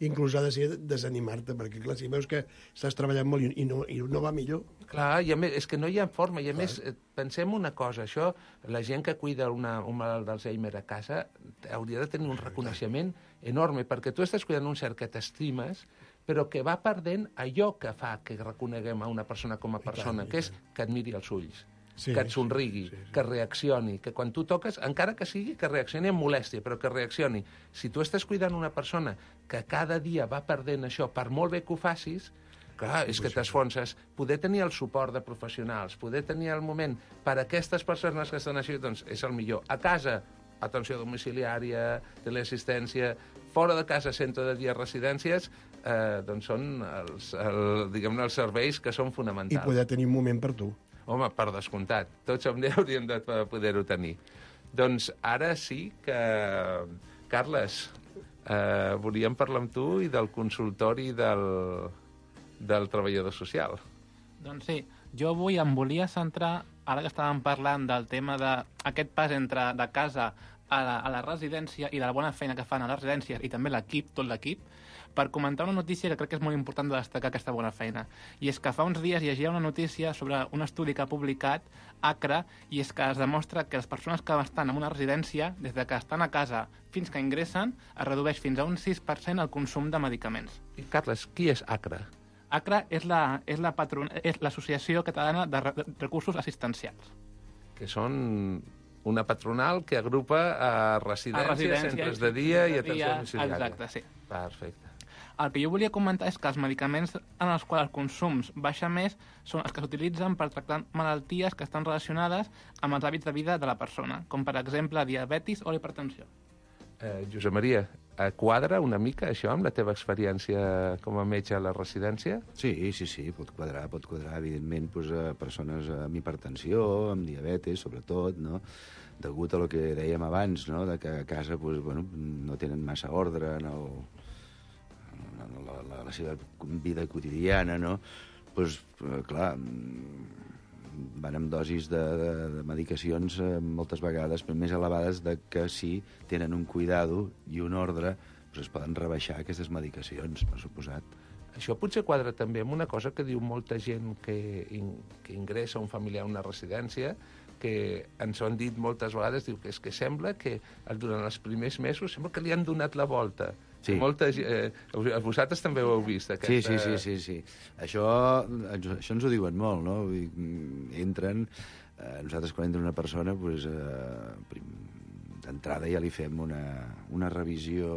inclús ha de ser desanimar-te, perquè clar, si veus que estàs treballant molt i no, i no va millor... Clar, i a més, és que no hi ha forma, i a clar. Més, pensem una cosa, això, la gent que cuida una, un malalt d'Alzheimer a casa hauria de tenir un reconeixement enorme, perquè tu estàs cuidant un cert que t'estimes, però que va perdent allò que fa que reconeguem a una persona com a persona, tant, que és que et miri als ulls. Sí, que et somrigui, sí, sí, sí. que reaccioni, que quan tu toques, encara que sigui que reaccioni amb molèstia, però que reaccioni. Si tu estàs cuidant una persona que cada dia va perdent això, per molt bé que ho facis, clar, és que t'esfonses. Poder tenir el suport de professionals, poder tenir el moment per a aquestes persones que estan així, doncs és el millor. A casa, atenció domiciliària, teleassistència, fora de casa, centre de dia, residències, eh, doncs són els, el, diguem-ne, els serveis que són fonamentals. I poder tenir un moment per tu. Home, per descomptat. Tots hauríem de poder-ho tenir. Doncs ara sí que... Carles, eh, volíem parlar amb tu i del consultori del, del treballador social. Doncs sí, jo avui em volia centrar, ara que estàvem parlant del tema d'aquest pas entre de casa a la, a la residència i de la bona feina que fan a les residències i també l'equip, tot l'equip, per comentar una notícia que crec que és molt important de destacar aquesta bona feina. I és que fa uns dies llegia una notícia sobre un estudi que ha publicat ACRA, i és que es demostra que les persones que estan en una residència, des de que estan a casa fins que ingressen, es redueix fins a un sis per cent el consum de medicaments. I, Carles, qui és ACRA? ACRA és la, és la patron... és l'Associació Catalana de Recursos Assistencials. Que són una patronal que agrupa a residències, a residències centres de dia i atenció domiciliària. Exacte, sí. Perfecte. El que jo volia comentar és que els medicaments en els quals els consums baixa més són els que s'utilitzen per tractar malalties que estan relacionades amb els hàbits de vida de la persona, com per exemple diabetis o hipertensió. Eh, Josep Maria, quadra una mica això amb la teva experiència com a metge a la residència? Sí, sí, sí, pot quadrar, pot quadrar, evidentment, doncs, a persones amb hipertensió, amb diabetes, sobretot, no?, degut a lo que dèiem abans, no?, de que a casa doncs, bueno, no tenen massa ordre en el... La, la, la seva vida quotidiana, no? Pues, clar, van amb dosis de, de, de medicacions eh, moltes vegades més elevades de que si tenen un cuidado i un ordre, pues es poden rebaixar aquestes medicacions, per suposat. Això potser quadra també amb una cosa que diu molta gent que, in, que ingressa un familiar a una residència, que ens ho han dit moltes vegades, diu que és que sembla que durant els primers mesos sembla que li han donat la volta. Sí. Molta, eh, vosaltres també ho heu vist, aquesta... Sí, sí, sí, sí, sí. Això, això ens ho diuen molt, no? Entren, eh, nosaltres quan entra una persona, pues, eh, d'entrada ja li fem una, una revisió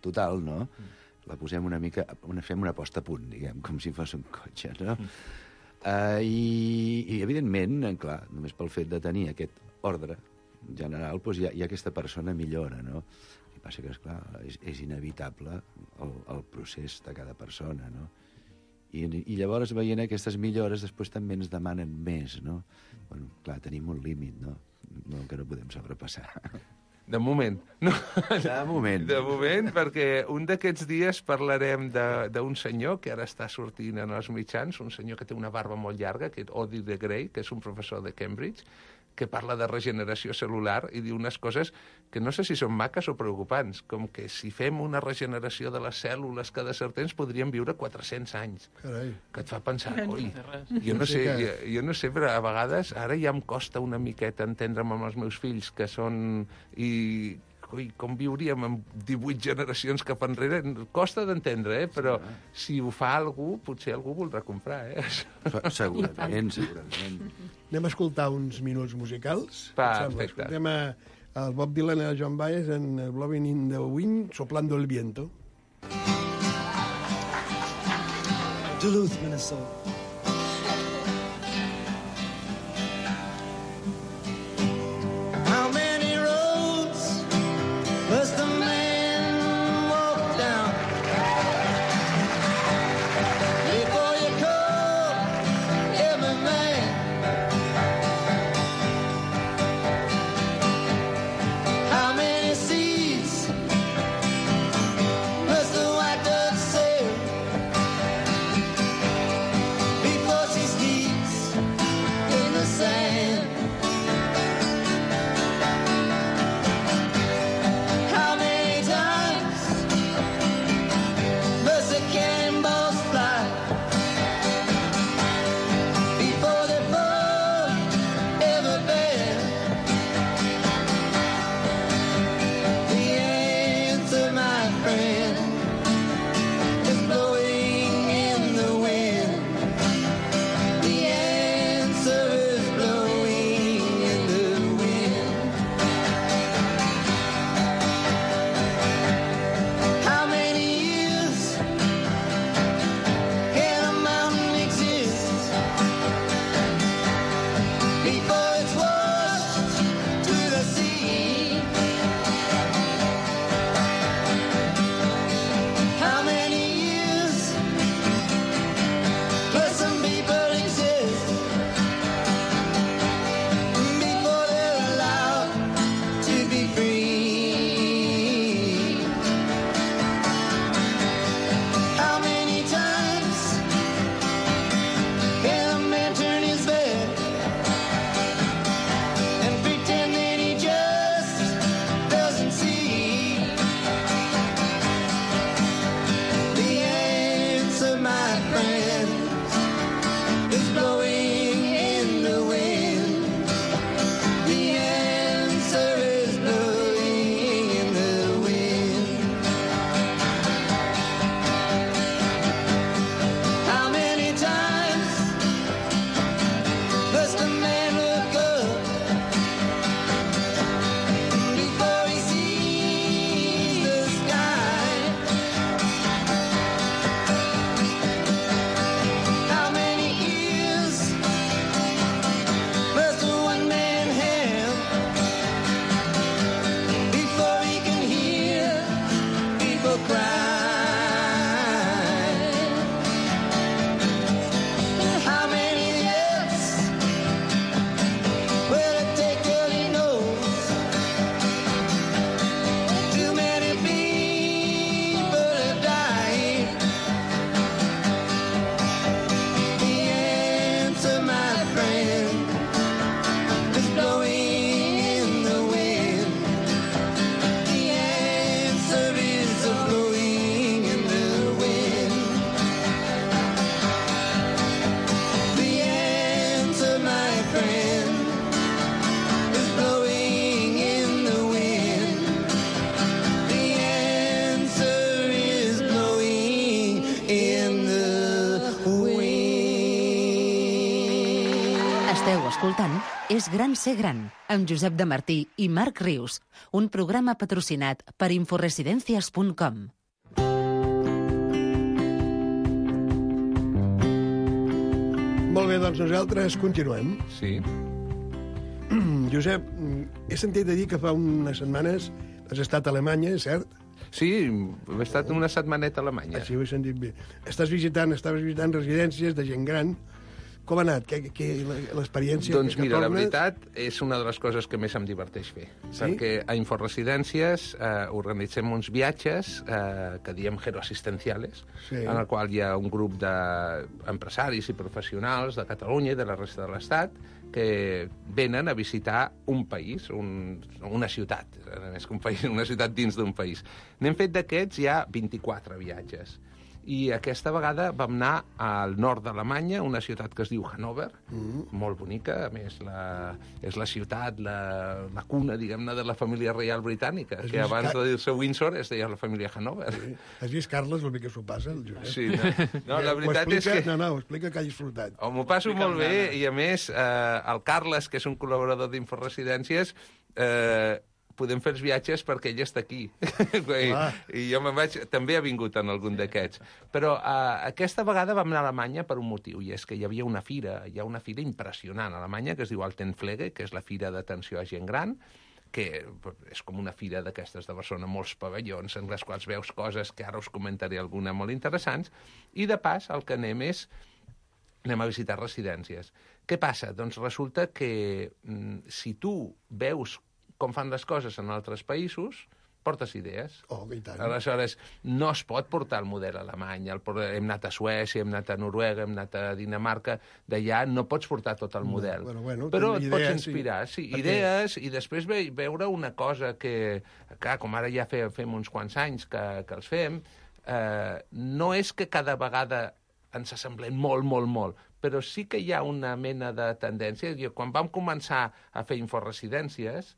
total, no? Mm. La posem una mica, una, fem una posta a punt, diguem, com si fos un cotxe, no? Mm. Uh, i, I, evidentment, clar, només pel fet de tenir aquest ordre general, doncs ja, ja aquesta persona millora, no? El que passa que, esclar, és, és inevitable el, el procés de cada persona, no? I, I llavors, veient aquestes millores, després també ens demanen més, no? Bueno, clar, tenim un límit, no? No, que no podem sobrepassar. De moment. No. De moment. De moment, perquè un d'aquests dies parlarem d'un senyor que ara està sortint en els mitjans, un senyor que té una barba molt llarga, que és Odi de Grey, que és un professor de Cambridge, que parla de regeneració cel·lular i diu unes coses que no sé si són maques o preocupants, com que si fem una regeneració de les cèl·lules cada cert temps podríem viure quatre-cents anys. Carai. Que et fa pensar, oi, jo no sé, jo, jo no sé, però a vegades ara ja em costa una miqueta entendre'm amb els meus fills, que són... i ui, com viuríem amb divuit generacions cap enrere? Costa d'entendre, eh? Però si ho fa algú, potser algú voldrà comprar, eh? Segurament, segurament. Anem a escoltar uns minuts musicals. Perfecte. Escoltem a, al Bob Dylan i al John Baez en Blowing in the Wind, Soplando el Viento. Duluth, Minnesota. escoltant És gran ser gran, amb Josep de Martí i Marc Rius, un programa patrocinat per inforesidencias punt com. Molt bé, doncs nosaltres continuem. Sí. Josep, he sentit a dir que fa unes setmanes has estat a Alemanya, cert? Sí, he estat una setmaneta a Alemanya. Així ho he sentit bé. Estàs visitant, estaves visitant residències de gent gran. Com ha anat? Que, que, l'experiència doncs que, que mira, tornes... la veritat és una de les coses que més em diverteix fer. Sí? Perquè a Inforesidències eh, organitzem uns viatges eh, que diem geroassistenciales, Sí. en el qual hi ha un grup d'empresaris i professionals de Catalunya i de la resta de l'Estat que venen a visitar un país, un, una ciutat, més que un país, una ciutat dins d'un país. N'hem fet d'aquests ja vint-i-quatre viatges. I aquesta vegada vam anar al nord d'Alemanya, una ciutat que es diu Hannover, mm. molt bonica, a més la, és la ciutat, la, la cuna, diguem-ne, de la família reial britànica, Has que abans Car... de dir-se Windsor es deia la família Hannover. Sí. Has vist, Carles, el bé que s'ho passa, el Josep? Sí, no, no la veritat explica, és que... No, no, ho explica que ha disfrutat. Oh, m'ho passo explica molt bé, i a més, eh, el Carles, que és un col·laborador d'Inforesidències, eh, podem fer els viatges perquè ell està aquí. I, I jo me'n vaig... També ha vingut en algun d'aquests. Però uh, aquesta vegada vam anar a Alemanya per un motiu, i és que hi havia una fira, hi ha una fira impressionant a Alemanya, que es diu Altenpflege, que és la fira d'atenció a gent gran, que és com una fira d'aquestes de Barcelona, molts pavellons en les quals veus coses que ara us comentaré alguna molt interessants, i de pas el que anem és anem a visitar residències. Què passa? Doncs resulta que mm, si tu veus com fan les coses en altres països, portes idees. Oh, i tant. Aleshores, no es pot portar el model alemany. El, hem anat a Suècia, hem anat a Noruega, hem anat a Dinamarca. D'allà no pots portar tot el model. No, bueno, bueno, però et idees, pots inspirar. Sí, sí perquè... idees, i després ve, veure una cosa que, clar, com ara ja fe, fem uns quants anys que, que els fem, eh, no és que cada vegada ens assemblem molt, molt, molt, però sí que hi ha una mena de tendència. Jo, quan vam començar a fer inforesidències,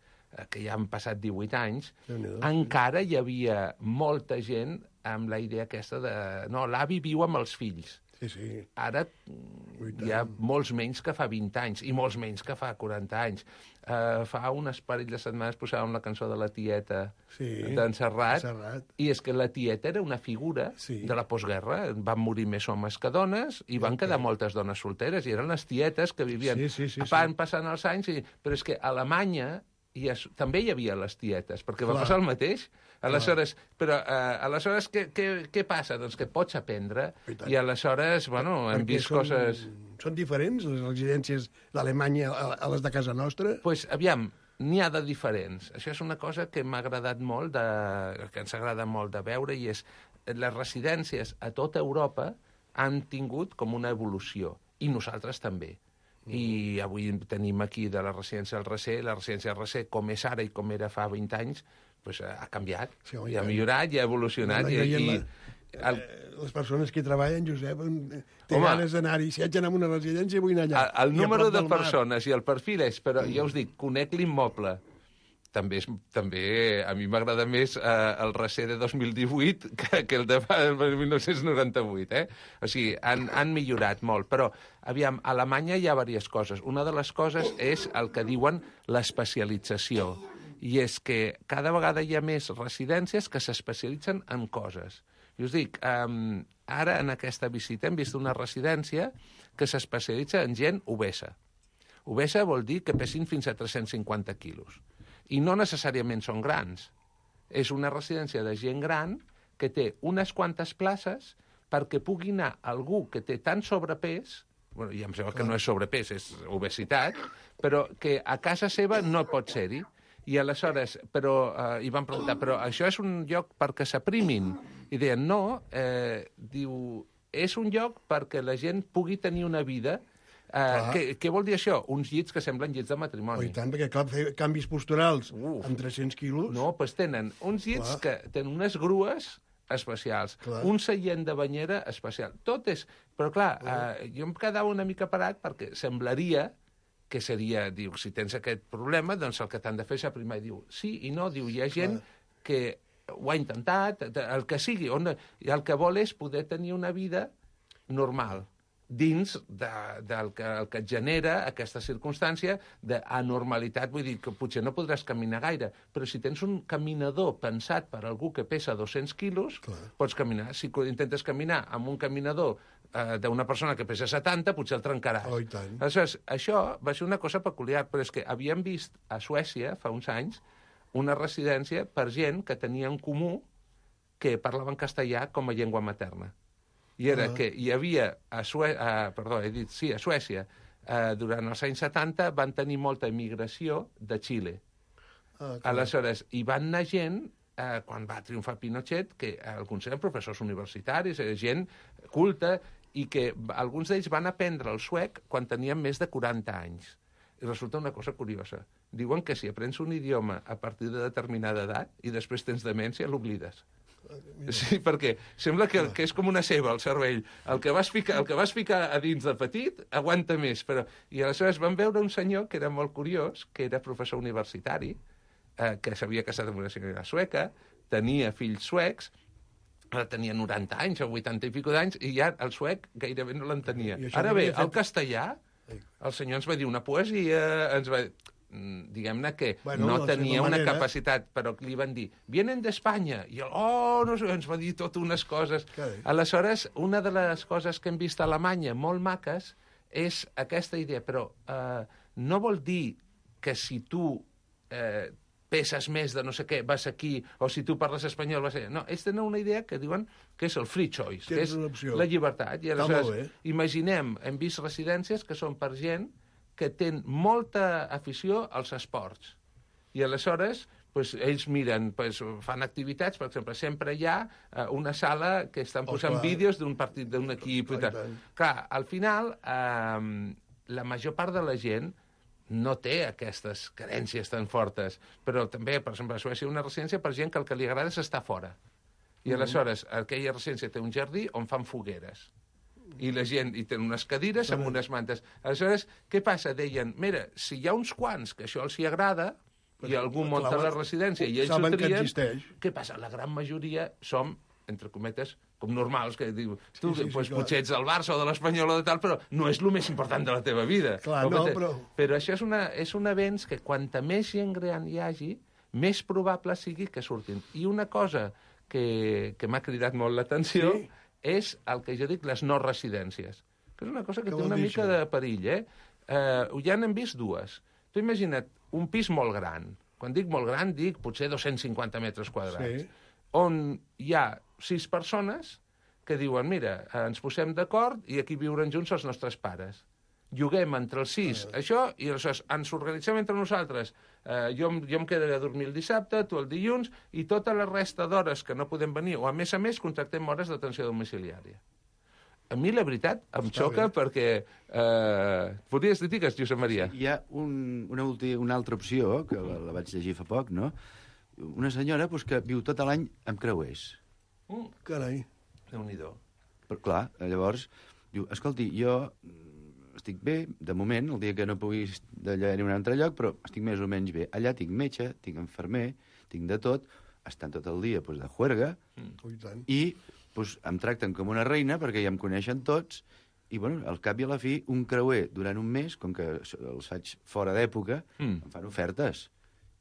que ja han passat divuit anys, encara hi havia molta gent amb la idea aquesta de... No, l'avi viu amb els fills. Sí, sí. Ara hi ha molts menys que fa vint anys, i molts menys que fa quaranta anys. Uh, fa unes parell de setmanes posàvem la cançó de la tieta sí, d'en Serrat, Serrat, i és que la tieta era una figura sí. de la postguerra. Van morir més homes que dones, i van quedar moltes dones solteres, i eren les tietes que vivien... Sí, sí, sí, van sí. passant els anys, i... però és que a Alemanya i es, també hi havia les tietes, perquè Clar. va passar el mateix. Aleshores, però, eh, aleshores què, què, què passa? Doncs que pots aprendre, i, i aleshores, bueno, hem perquè vist són, coses... Són diferents, les residències d'Alemanya a, a les de casa nostra? Doncs, pues, aviam, n'hi ha de diferents. Això és una cosa que m'ha agradat molt, de, que ens agrada molt de veure, i és les residències a tota Europa han tingut com una evolució, i nosaltres també. I avui tenim aquí de la residència del Recer, la residència del Recer, com és ara i com era fa vint anys, pues, ha canviat, sí, home, i ha millorat, i ha evolucionat. La, i, i, i, el... Les persones que hi treballen, Josep, té ganes d'anar-hi. Si haig d'anar a una residència, vull anar allà. El, el número de persones i el perfil és, però mm. ja us dic, conec l'immoble. També, és, també a mi m'agrada més eh, el Recer de dos mil divuit que, que el de mil nou-cents noranta-vuit. Eh? O sigui, han, han millorat molt. Però, aviam, a Alemanya hi ha diverses coses. Una de les coses és el que diuen l'especialització. I és que cada vegada hi ha més residències que s'especialitzen en coses. I us dic, eh, ara en aquesta visita hem vist una residència que s'especialitza en gent obesa. Obesa vol dir que pesin fins a tres-cents cinquanta quilos. I no necessàriament són grans. És una residència de gent gran que té unes quantes places perquè pugui anar algú que té tant sobrepès, bueno, ja em sembla que no és sobrepès, és obesitat, però que a casa seva no pot ser-hi. I aleshores, però, eh, i van preguntar, però això és un lloc perquè s'aprimin? I deien, no, eh, diu, és un lloc perquè la gent pugui tenir una vida. Uh, què, què vol dir això? Uns llits que semblen llits de matrimoni. Oh, i tant, perquè clar, fer canvis posturals Uf. amb tres-cents quilos... No, doncs tenen uns llits clar. que tenen unes grues especials, clar. un seient de banyera especial. Tot és... Però clar, uh, jo em quedava una mica parat perquè semblaria que seria, diu, si tens aquest problema, doncs el que t'han de fer és aprimar. I diu, sí i no, diu, hi ha gent clar. que ho ha intentat, el que sigui, on, i el que vol és poder tenir una vida normal, dins de, del que, el que et genera aquesta circumstància d'anormalitat. Vull dir que potser no podràs caminar gaire, però si tens un caminador pensat per algú que pesa dos-cents quilos, clar. pots caminar. Si intentes caminar amb un caminador eh, d'una persona que pesa setanta, potser el trencaràs. Oh, i tant. Aleshores, això va ser una cosa peculiar, però és que havíem vist a Suècia, fa uns anys, una residència per gent que tenia en comú que parlaven castellà com a llengua materna. I era uh -huh. que hi havia, a, Suè... a, perdó, he dit, sí, a Suècia, eh, durant els anys setanta van tenir molta immigració de Xile. Uh, Aleshores, hi van anar gent, eh, quan va triomfar Pinochet, que alguns eren professors universitaris, gent culta, i que alguns d'ells van aprendre el suec quan tenien més de quaranta anys. I resulta una cosa curiosa. Diuen que si aprens un idioma a partir de determinada edat i després tens demència, l'oblides. Sí, perquè sembla que, que és com una ceba, el cervell. El que vas ficar, el que vas ficar a dins de petit aguanta més. Però... I aleshores vam veure un senyor que era molt curiós, que era professor universitari, eh, que s'havia casat amb una senyora sueca, tenia fills suecs, ara tenia noranta anys o vuitanta i pico d'anys, i ja el suec gairebé no l'entenia. Ara bé, el castellà, el senyor ens va dir una poesia, ens va... diguem-ne que bueno, no tenia una manera... capacitat, però li van dir vienen d'Espanya, i el, oh, no sé, ens va dir totes unes coses. Carai. Aleshores, una de les coses que hem vist a Alemanya molt maques és aquesta idea, però eh, no vol dir que si tu eh, peses més de no sé què, vas aquí, o si tu parles espanyol, vas allà. No, ells tenen una idea que diuen que és el free choice, que és la llibertat. I aleshores, imaginem, hem vist residències que són per gent que tenen molta afició als esports. I aleshores, pues, ells miren, pues, fan activitats, per exemple, sempre hi ha uh, una sala que estan posant oh, vídeos d'un partit, d'un equip... Oh, i tal. Clar, al final, uh, la major part de la gent no té aquestes carències tan fortes, però també, per exemple, a Suècia una residència per gent que el que li agrada és estar fora. I mm. aleshores, aquella residència té un jardí on fan fogueres. I la gent hi tenen unes cadires amb unes mantes. Aleshores, què passa? Deien, mira, si hi ha uns quants que això els hi agrada, i algú munta la residència i ells ho trien, què passa? La gran majoria som, entre cometes, com normals, que diu, tu sí, sí, pues, sí, potser ets del Barça o de l'Espanyol o de tal, però no és el més important de la teva vida. Clar, no, però... però això és, una, és un avenç que quanta més gent gran hi hagi, més probable sigui que surtin. I una cosa que, que m'ha cridat molt l'atenció... Sí. és el que jo dic les no residències, que és una cosa que, que té una mica de perill, eh? eh? Ja n'hem vist dues. Tu imagina't un pis molt gran. Quan dic molt gran, dic potser dos-cents cinquanta metres quadrats, sí. on hi ha sis persones que diuen, mira, ens posem d'acord i aquí viuran junts els nostres pares. Juguem entre els sis, ah. això, i aleshores ens organitzem entre nosaltres. Uh, jo, jo em quedaré a dormir el dissabte, tu el dilluns, i tota la resta d'hores que no podem venir, o a més a més contractem hores d'atenció domiciliària. A mi, la veritat, em Està xoca bé. perquè... Uh, podries dir digues, Josep Maria? Sí, hi ha un, una, ulti, una altra opció, que la, la vaig llegir fa poc, no? Una senyora pues, que viu tot l'any amb creuers. Mm. Carai. Déu-n'hi-do. Però, clar, llavors, diu, escolti, jo... estic bé, de moment, el dia que no pugui d'allà anar a un altre lloc, però estic més o menys bé. Allà tinc metge, tinc infermer, tinc de tot, estan tot el dia pues, de juerga, mm. i pues, em tracten com una reina perquè ja em coneixen tots, i bueno, al cap i a la fi, un creuer durant un mes, com que els faig fora d'època, mm. em fan ofertes.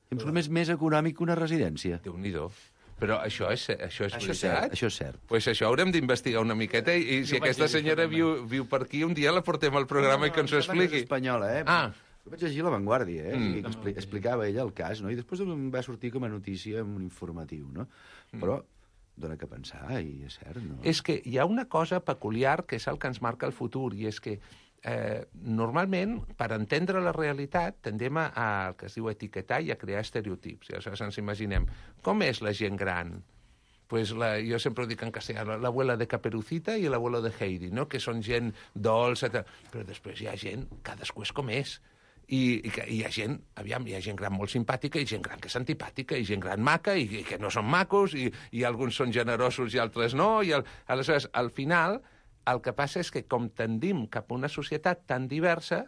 Em surt més, més econòmic que una residència. Déu-n'hi-do. Però això és, això és això veritat? És cert, això és cert. Pues això haurem d'investigar una miqueta i, i si aquesta senyora viu, viu per aquí, un dia la portem al programa no, no, i que ens ho expliqui. És espanyola, eh? Ah. Jo vaig llegir La Vanguardia, eh? Mm. I expli explicava ella el cas, no? I després em va sortir com a notícia en un informatiu, no? Mm. Però dona que pensar, i és cert, no? És que hi ha una cosa peculiar que és el que ens marca el futur, i és que Eh, normalment, per entendre la realitat, tendem a, a el que es diu etiquetar i a crear estereotips. I aleshores ens imaginem, com és la gent gran? Pues la, jo sempre ho dic en castellà, l'abuela de Caperucita i l'abuelo de Heidi, no? Que són gent dolça, però després hi ha gent, cadascú és com és. I, i, que, i hi ha gent, aviam, hi ha gent gran molt simpàtica i gent gran que és antipàtica i gent gran maca i, i que no són macos i, i alguns són generosos i altres no. I el, aleshores, al final... El que passa és que, com tendim cap a una societat tan diversa,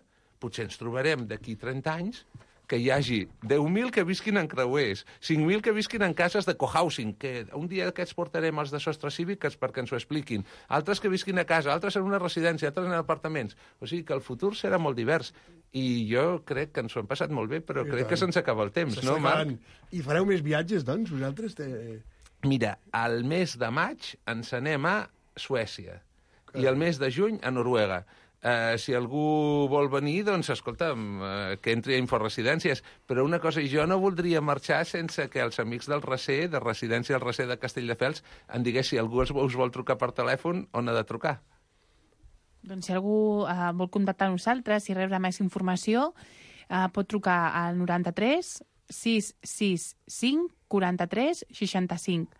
potser ens trobarem d'aquí trenta anys que hi hagi deu mil que visquin en creuers, cinc mil que visquin en cases de cohousing, que un dia aquests portarem els de sostre cívic perquè ens ho expliquin, altres que visquin a casa, altres en una residència, altres en apartaments. O sigui que el futur serà molt divers. I jo crec que ens ho hem passat molt bé, però I crec tant. que se'ns acaba el temps, no, Marc? I fareu més viatges, doncs, vosaltres? Te... Mira, al mes de maig ens anem a Suècia. I el mes de juny a Noruega. Uh, si algú vol venir, doncs, escolta'm, uh, que entri a Inforesidències. Però una cosa, jo no voldria marxar sense que els amics del Recer, de Residència del Recer de Castelldefels, em digués si algú us vol trucar per telèfon, on ha de trucar. Doncs si algú uh, vol contactar amb nosaltres i rebre més informació, uh, pot trucar al noranta-tres sis sis cinc quaranta-tres seixanta-cinc.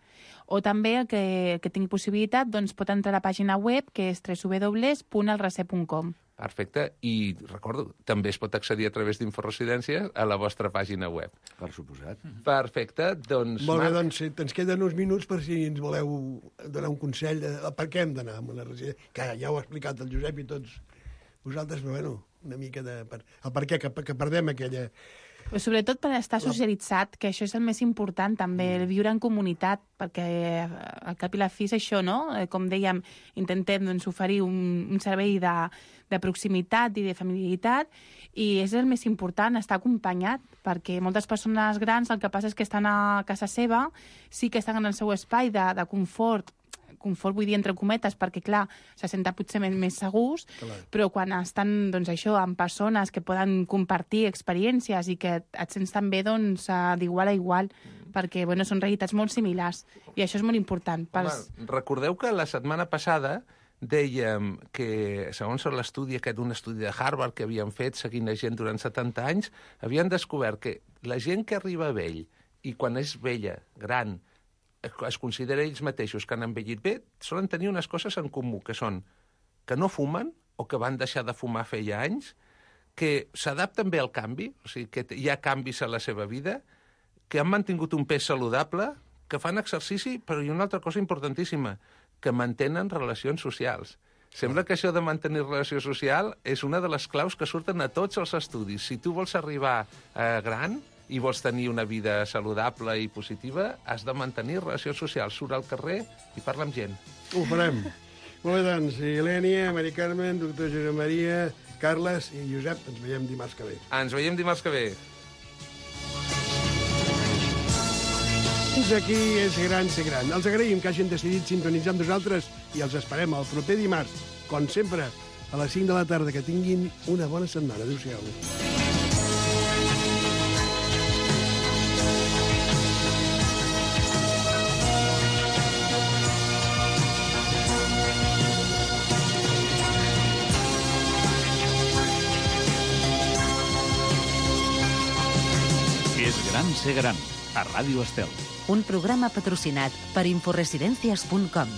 O també, el que, que tingui possibilitat, doncs pot entrar a la pàgina web, que és w w w punt el recer punt com. Perfecte. I recordo, també es pot accedir a través d'Inforesidències a la vostra pàgina web. Per suposat. Perfecte. Doncs, Molt bé, Marc, doncs sí, ens queden uns minuts per si ens voleu donar un consell de, de per què hem d'anar a una residència. Que ja ho ha explicat el Josep i tots vosaltres, però bueno, una mica de... Per, el per què, que, que perdem aquella... Però sobretot per estar socialitzat, que això és el més important també, el viure en comunitat, perquè al cap i la fi és això, no? Eh, Com dèiem, intentem doncs, oferir un, un servei de, de proximitat i de familiaritat, i és el més important, estar acompanyat, perquè moltes persones grans el que passa és que estan a casa seva, sí que estan en el seu espai de, de confort, confort vull dir entre cometes, perquè clar, se senten potser més, més segurs, Clar. però quan estan doncs, això amb persones que poden compartir experiències i que et sents també doncs, eh, d'igual a igual, perquè bueno, són realitats molt similars, i això és molt important. Pels... home, recordeu que la setmana passada dèiem que, segons l'estudi aquest, un estudi de Harvard que havien fet seguint la gent durant setanta anys, havien descobert que la gent que arriba vell i quan és vella, gran, es considera ells mateixos que han envellit bé, solen tenir unes coses en comú, que són que no fumen o que van deixar de fumar feia anys, que s'adapten bé al canvi, o sigui, que hi ha canvis a la seva vida, que han mantingut un pes saludable, que fan exercici, però hi ha una altra cosa importantíssima, que mantenen relacions socials. Sembla que això de mantenir relació social és una de les claus que surten a tots els estudis. Si tu vols arribar eh, gran i vols tenir una vida saludable i positiva, has de mantenir relacions socials. Surt al carrer i parla amb gent. Ho farem. Molt bé, doncs, Ilènia, Mari Carmen, doctor Josep Maria, Carles i Josep, ens veiem dimarts que ve. Ens veiem dimarts que ve. Fins aquí és Gran Ser Gran. Els agraïm que hagin decidit sintonitzar amb nosaltres i els esperem el proper dimarts, com sempre, a les cinc de la tarda. Que tinguin una bona setmana. Adéu-siau. És gran ser gran, a Ràdio Estel. Un programa patrocinat per Inforesidències punt com.